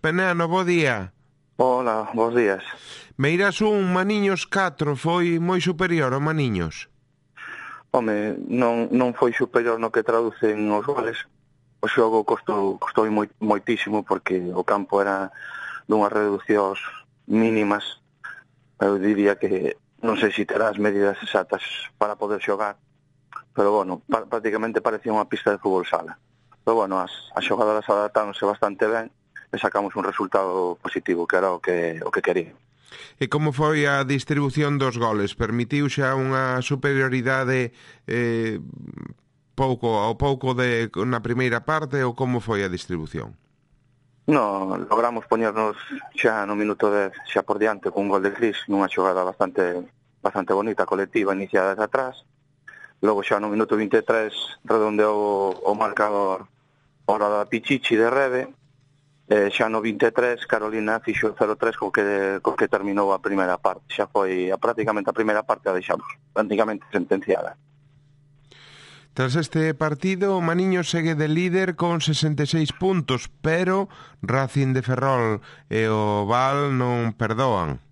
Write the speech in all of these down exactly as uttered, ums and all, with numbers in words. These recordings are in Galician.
Penano, bo día. Hola, bons días. Meirás un, Maniños catro, foi moi superior ao Maniños? Home, non, non foi superior no que traducen os goles. O xogo costou, costou moi, moitísimo porque o campo era dunhas reduccións mínimas. Eu diría que non sei se terá as medidas exactas para poder xogar, pero bueno, prácticamente parecía unha pista de fútbol sala. Pero bueno, as, as xogadoras adaptáronse bastante ben e sacamos un resultado positivo, que era o que, o que quería. E como foi a distribución dos goles? Permitiu xa unha superioridade eh, pouco ao pouco de, na primeira parte, ou como foi a distribución? No, logramos poñernos xa no minuto dez xa por diante con un gol de Cris nunha xogada bastante bastante bonita, colectiva, iniciada desde atrás. Logo xa no minuto vinte e tres redondeou o marcador hora da Pichichi de Rebe. Eh, xa no vinte e tres Carolina fixo cero tres co que, co que terminou a primeira parte. Xa foi a, prácticamente a primeira parte a deixamos prácticamente sentenciada. Tras este partido, o Maniños segue de líder con sesenta e seis puntos, pero Racing de Ferrol e o Val non perdoan.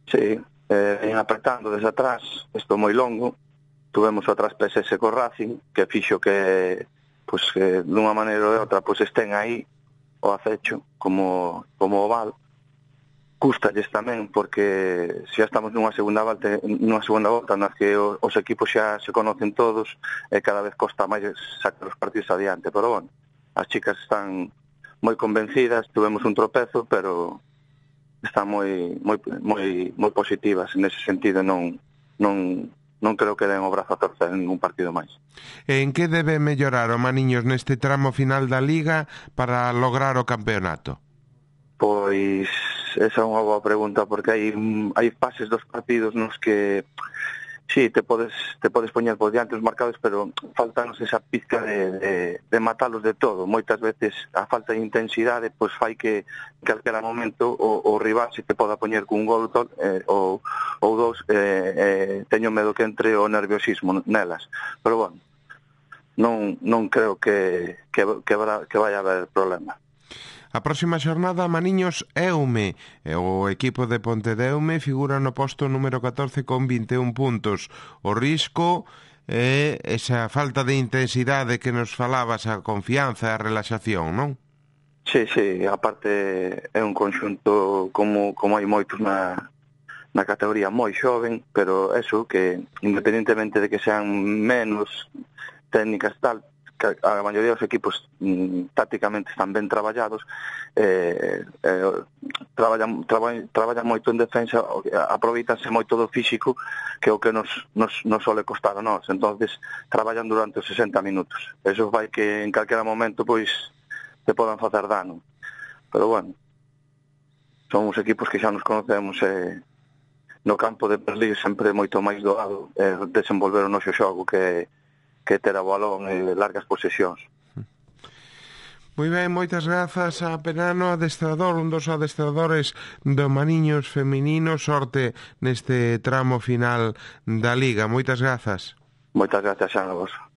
Sí, eh, en apretando desde atrás, isto moi longo. Tuvemos o traspese ese co Racing, que fixo que, pues, que dunha maneira ou de outra, pues, estén aí o acecho, como, como o Val. Cústalles tamén, porque xa estamos nunha segunda volta, nunha segunda volta nas que os, os equipos xa se conocen todos e cada vez costa máis sacar os partidos adiante, pero bueno, as chicas están moi convencidas, tuvemos un tropezo, pero están moi moi moi moi positivas nese sentido, non non non creo que den o brazo a torcer en ningún partido máis. En que debe mellorar o Maniños neste tramo final da Liga para lograr o campeonato? Pois esa é unha boa pregunta, porque hai hai fases dos partidos nos que sí, te podes te podes poñer por diante os marcados, pero faltanos esa pizca de, de, de matalos de todo. Moitas veces a falta de intensidade pois fai que en calquera momento o, o rival se te poda poñer cun gol eh, ou, ou dous, eh, eh, teño medo que entre o nerviosismo nelas, pero bueno, non, non creo que, que, que, que vai haber problema. A próxima xornada, Maniños Eume. O equipo de Pontedeume figura no posto número catorce con vinte e un puntos. O risco é esa falta de intensidade que nos falabas, a confianza e a relaxación, non? Sí, sí, aparte é un conxunto como, como hai moitos na, na categoría moi xoven, pero eso que independentemente de que sean menos técnicas tal, que a maioría dos equipos mm, tácticamente están ben traballados, eh, eh, traballan, traballan, traballan moito en defensa, aproveitanse moito do físico, que é o que nos, nos, nos sole costar a nós. Entonces traballan durante os sesenta minutos. Eso vai que en calquera momento pois te podan facer dano. Pero bueno, son os equipos que xa nos conocemos e eh, no campo de Berlín sempre moito máis doado eh, desenvolver o noso xogo que que ter a balón e largas posesións. Moi ben, moitas grazas a Penano, adestrador, un dos adestradores do Maniños feminino. Sorte neste tramo final da Liga. Moitas grazas. Moitas grazas a vos.